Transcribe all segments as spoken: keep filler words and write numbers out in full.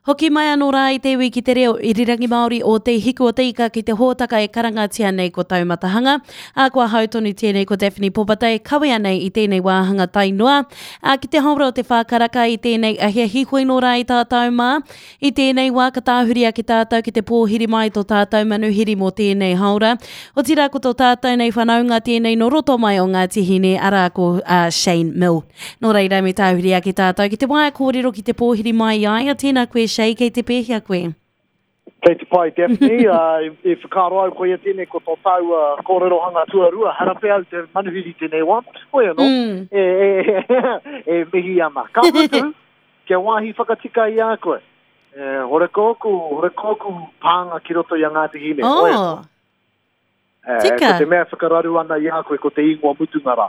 Hoki mai anō rā i te iwi ki te reo irirangi Māori o Te Hiku o Te Ika ki te hōtaka e karangatia nei ko Taumatahanga. Ā, ko ahau tonu tēnei ko Daphne Popata e kawea nei i tēnei wāhanga tae noa. Ā, ki te haora o te whā karaka i tēnei ahiahi hoi nō rā i tātou mā. I tēnei wā ka tāhuri ake tātou ki te pōhiri mai tō tātou manuhiri mō tēnei haora. Otirā ko tō tātou nei whanaunga tēnei nō roto mai o Ngāti Hine, arā ko uh, Shane Mill. Nō reira me tāhuri ake tātou ki te waea kōrero ki te pōhiri mai i a ia. Tēnā koe Shay, kei te pēhea koe? Kei te pai, Daphne. uh, i, i whakaaro au koia tēnei ko tō tāua kōrerohanga tuarua. Hara pea au te manuhiri tēnei wā. Hoi anō, Mm. e, e, e, e mihi ana. Ka mutu, kia wāhi whakatika i a koe. E, hore kōku, hore kōku pānga ki roto i a Ngāti Hine. Hoi anō. Oh, E, tika. Ko te mea whakararu ana i a koe ko te ingoa mutunga rā.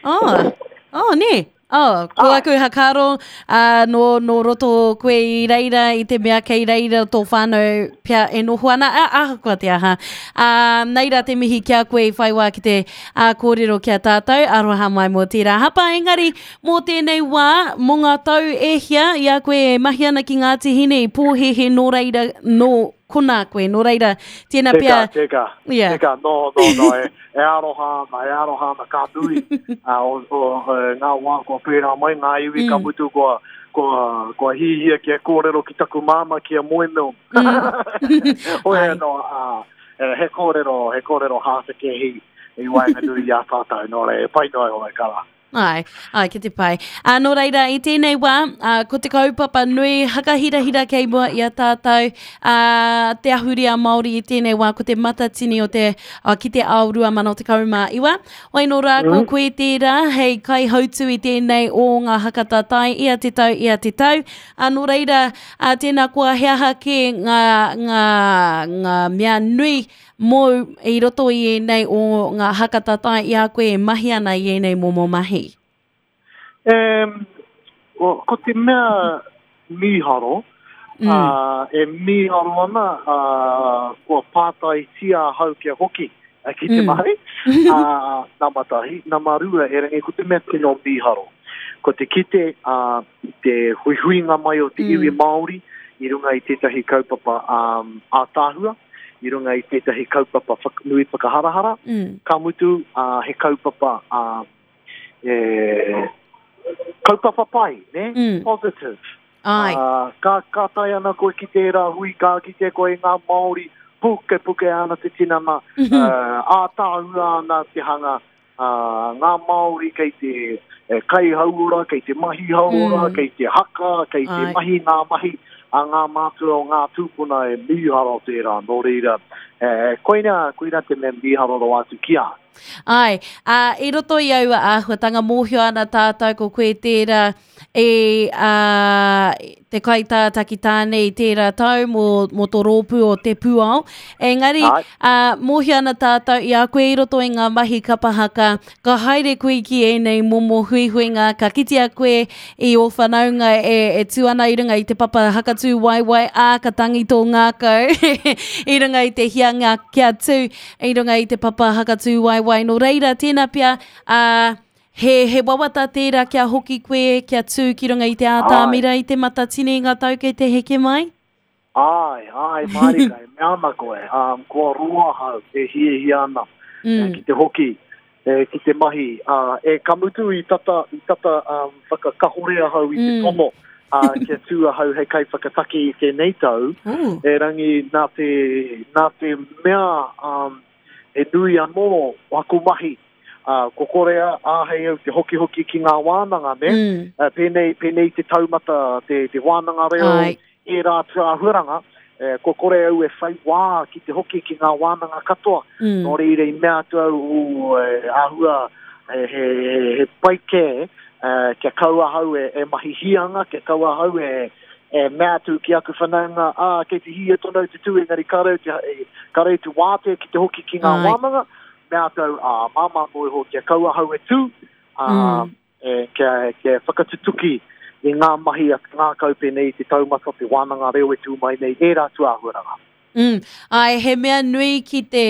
oh, oh, nē. Oh, ko Ai. aku hakaro, uh, nō, nō roto koe i reira, i te mea kei reira tō whānau pea e noho ana, a, ahakoa te aha. Uh, nei rā te mihi ki a koe i whai wā ki te uh, kōrero ki a tātou, aroha mai mō tērā hapa, engari mō tēnei wā, mō ngā tau e hia, i a koe e mahi ana ki Ngāti Hine i pōhehe nō reira, nō konā koe, nō reira, tēnā Teka, pea... teka, Yeah. teka, no, no, no, e, e aroha ana, e aroha ana, ka nui, uh, o, o, e, ngā wā kua pērā mai, ngā iwi ka Mm. mutu kua, kua, kua hihia kia kōrero ki taku māma ki a Moemil. Hoi Ai. anō, uh, e, he kōrero, he kōrero hātekehi i waenganui i a tātou, nō reira, e pai noa iho e kara. Ai, ai, ki te pai. Ā, nō reira, i tēnei wā, ā, ko te kaupapa nui hakahirahira kei mua i a tātou, ā, te ahurea Māori i tēnei wā, ko te matatini o te, ā, ki te ao rua mano tekau mā iwa. Wai nō rā, ko Mm. koe tērā, hei kaihautu i tēnei o ngā hakatatai ia te tau, ia te tau. Ā, nō reira, ā, tēnā koa he aha kē ngā, ngā, ngā mea nui mōu i roto i ēnei o ngā hakatatai i a koe e mahi ana i ēnei momo mahi? Um, o, ko te mea mīharo, Mm. uh, e mīharo ana, uh, kua pātaitia ahau kia hoki uh, ki te Mm. mahi, uh, nama tahi, nama rua, e rangi, ko te mea tino mīharo. Ko te kite uh, i te huihuinga mai o te Mm. iwi Māori i runga i tētahi kaupapa um, ātaahua, i runga i tētahi kaupapa whak nui whakaharahara, Mm. ka mutu uh, he kaupapa uh, e, kaupapa pai, ne? Mm. Positive. Ai. Uh, ka, ka tae ana koe ki tērā hui, ka kite koe i ngā Māori, puke puke ana te tinana, uh, ātaahua ana te hanga, uh, ngā Māori kei te eh, kai hauora, kei te mahi hauora, Mm. kei te haka, kei te Ai. mahi ngā mahi a ngā mātua o ngā tūpuna e mīharo tērā, nō reira. Eh, koina, koina te mea mīharo rawa atu ki a. Ai, ā, i roto i aua āhuatanga mōhio ana tātou ko koe tērā e ā, te kaitātaki tāne i tērā tau mō, mō tō rōpū o Te Pūao. Engari, Ai. ā, mōhio ana tātou i a koe i roto i ngā mahi kapahaka, ka haere koe ki ēnei momo huihuinga, ka kitea koe i ō whanaunga e, e tū ana i runga i te papa hakatū waewae, ā, ka tangi tō ngākau i runga i te hianga kia tū, i runga i te papa hakatū waewae. Nō reira, tēnā pea, ā, he, he wawata tērā kia hoki koe, kia tū ki runga i te ātamira i te matatini i ngā tau kei te heke mai? Ai, ai, mārika, e mea ana koe, um, kua roa ahau e hiahia ana Mm. eh, ki te hoki, e, ki te mahi. Uh, e ka mutu i tata, i tata um, whakakahore ahau i te Mm. tono uh, kia tū ahau hei kaiwhakataki i tēnei tau. Ooh. E rangi nā te, nā te mea um, e nui anō o aku mahi. Uh, ko korea āhei au te hokihoki ki ngā wānanga, ne? Mm. Uh, pēnei, pēnei te taumata, te, te wānanga reo, Ai. ērā āhuaranga, eh, ko kore au e whai wā ki te hoki ki ngā wānanga katoa. Mm. Nō reira i mea atu au, ū, e, āhua, e, he, he, he pai kē, eh, kia kau ahau e, e mahi hianga, kia kau ahau e, e mea atu ki aku whanaunga, ā, kei te hia tonu te tū, engari ka rau te, e, ka rau te wātea ki te hoki ki ngā Ai. wānanga, mea atu au, ā, māmā noa iho, kia kau ahau e tū, ā, Mm. e, kia, kia whakatutuki i ngā mahi a te ngākau pēnei i te taumata te wānanga reo e tū mai nei, ērā atu āhuaranga. Mm. Ai, he mea nui ki te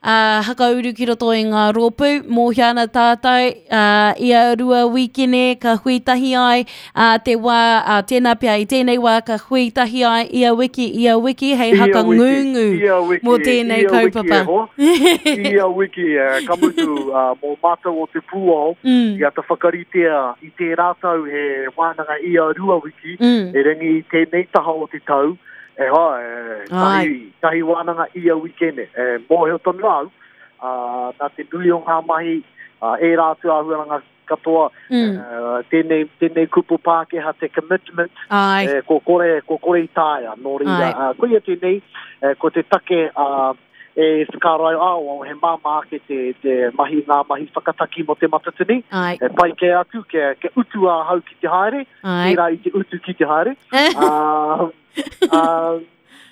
uh, hakauru ki roto i ngā rōpū, mōhio ana tātou, uh, ia rua wikene ka hui tahi ai, uh, te wā, uh, tēnā pea i tēnei wā ka hui tahi ai ia wiki, ia wiki, hei hakangungu mō tēnei ia kaupapa. Wiki e hoa. Ia wiki, eh, ka mutu, uh, mō mātou o te pūao, Mm. i ata whakaritea i tērā tau he wānanga ia rua wiki, Mm. e rangi i tēnei taha o te tau, e hoa, e, tahi, tahi wānanga ia wikene. E, mōhio tonu au, uh, nā te nui o ngā mahi, uh, ērā atu āhuaranga katoa, Mm. uh, tēnei, tēnei kupu Pākehā te commitment, Ai. e, ko kore, ko kore i taea, nō reira. Ai. Uh, koia tēnei, e, ko te take uh, e whakaaro ai, oh, he māmā ake te, te mahi ngā mahi whakataki mō te matatini. Ai. E pai kē atu, kia, kia utu ahau ki te haere, Ai. tērā i te utu ki te haere. uh, uh,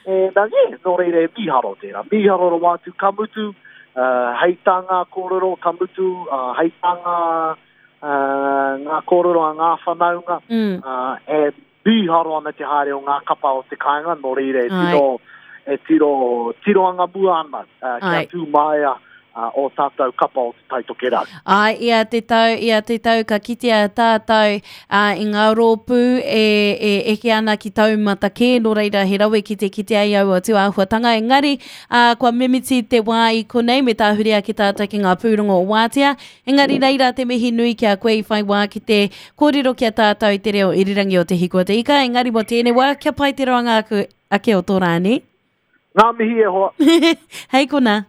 e, nā, yeah, nō reira e mīharo tērā. Mīharo rawa atu, ka mutu, uh, hei tā ngā kōrero, ka mutu, uh, hei tā ngā, uh, ngā kōrero a ngā whanaunga, Mm. uh, e mīharo ana te haere o ngā kapa o te kāinga, nō reira e Ai. tiro, e tiro, tiro anga mua ana, uh, kia Ai. tū maia uh, o tātou kapa o te Taitokerau. Ai, ia te tau, ia te tau, ka kitea tātou uh, i ngā rōpū e, e eke ana ki taumata kē, nō reira he rawe ki te kitea i aua tūāhuatanga. Engari, uh, kua mimiti te wā i konei me tāhuri ake tātou ki ngā pūrongo o wātea. Engari reira te mihi nui ki a koe i whai wā ki te kōrero ki a tātou i te reo irirangi o te Hiku o te Ika. Engari mō tēnei wā, kia pai te roanga aku, ake o tō rāne. Ngā mihi e hoa. Hei kona.